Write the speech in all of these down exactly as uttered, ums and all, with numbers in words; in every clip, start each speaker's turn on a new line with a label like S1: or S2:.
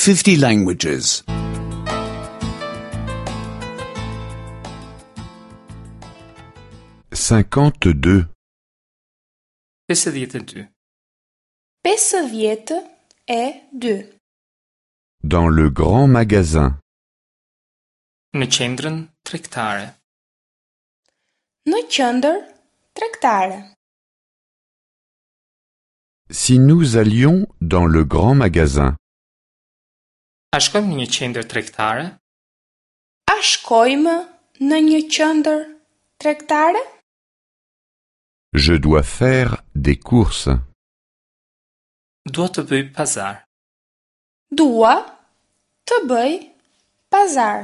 S1: fifty languages.
S2: cinquante-deux.
S3: pesëdhjetë e dy.
S4: Pesëdhjetë e dy.
S2: Dans le grand magasin.
S3: Në qendrën tregtare.
S4: Në qendër tregtare.
S2: Si nous allions dans le grand magasin.
S3: A shkojmë në një qendër tregtare?
S4: A shkojmë në një qendër tregtare?
S2: Je dois faire des courses.
S3: Dua të bëj pazar.
S4: Dua të bëj pazar.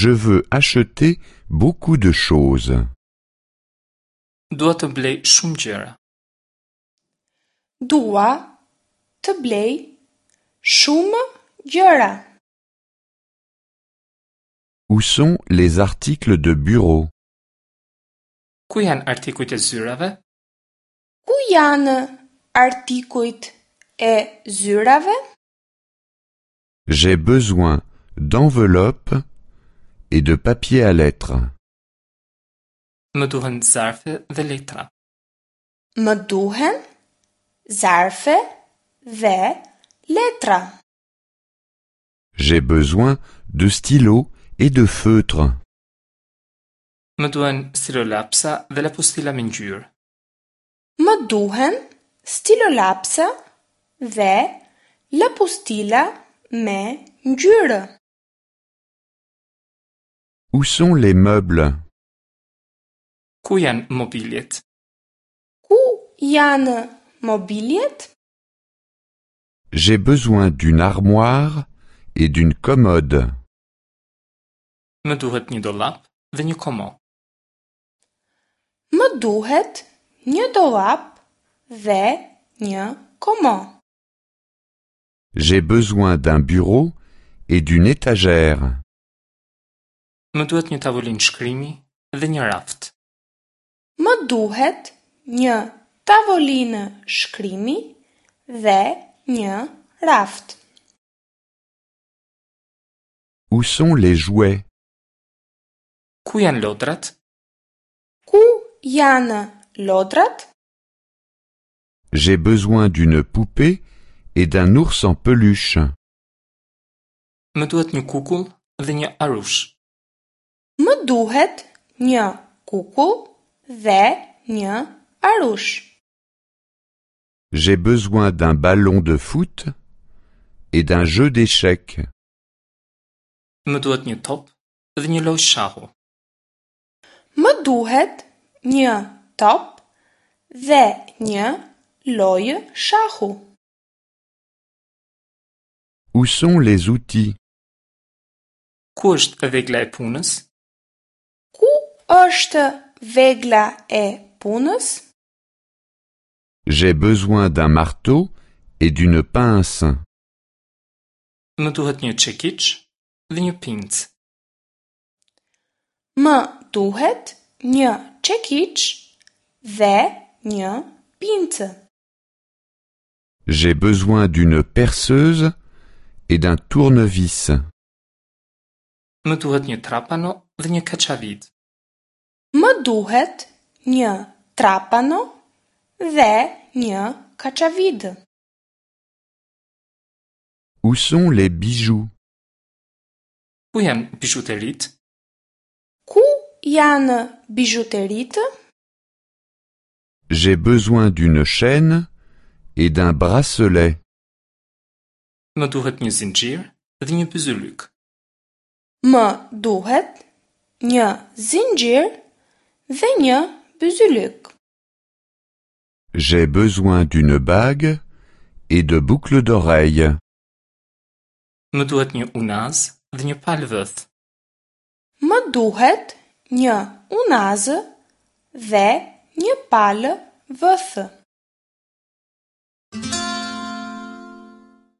S2: Je veux acheter beaucoup de choses.
S3: Dua të blej shumë gjëra.
S4: Dua të blej shumë gjëra.
S2: Où sont les articles de bureau?
S3: Ku janë artikujt e zyrave?
S4: Ku janë artikujt e zyrave?
S2: J'ai besoin d'enveloppes et de papier à lettres.
S3: Më duhen zarfe dhe letra.
S4: Më duhen zarfe dhe letra.
S2: J'ai besoin de stylos et de feutres.
S3: Më duhen stilolapsa dhe lapustila me ngjyrë.
S4: Më duhen stilolapsa dhe lapustila me ngjyrë.
S2: Où sont les meubles?
S3: Ku janë mobiljet?
S4: Ku janë mobiljet?
S2: J'ai besoin d'une armoire et d'une commode.
S3: Më duhet një dollap dhe një komo.
S4: Më duhet një dollap dhe një komo.
S2: J'ai besoin d'un bureau et d'une étagère.
S3: Më duhet një tavolinë shkrimi dhe një raft.
S4: Më duhet një tavolinë shkrimi dhe një raft.
S2: Où sont les jouets?
S3: Ku janë lodrat?
S4: Ku janë lodrat?
S2: J'ai besoin d'une poupée et d'un ours en peluche.
S3: Më duhet një kukull dhe një arush.
S4: Më duhet një kukull dhe një arush.
S2: J'ai besoin d'un ballon de foot et d'un jeu d'échecs.
S3: Më duhet një top dhe një lojë shahu.
S4: Më duhet një top dhe një lojë shahu.
S2: Où sont les outils?
S3: Ku është vegla e punës?
S4: Ku është vegla e punës?
S2: J'ai besoin d'un marteau et d'une pince.
S3: Më duhet një çekiç dhe një pincë.
S4: Më duhet një çekiç dhe një pincë.
S2: J'ai besoin d'une perceuse et d'un tournevis.
S3: Më duhet një trapano dhe një kaçavid.
S4: Më duhet një trapano dhe një kaçavid.
S2: Où sont les bijoux?
S3: Ku janë bizhuteritë?
S4: Ku janë bizhuteritë?
S2: J'ai besoin d'une chaîne et d'un bracelet.
S3: Më duhet një zinxhir dhe një byzylyk.
S4: Më duhet një zinxhir dhe një byzylyk.
S2: J'ai besoin d'une bague et de boucles d'oreilles.
S3: Më duhet një unaz dhe një palë vëth.
S4: Më duhet një unazë dhe një palë vëthë.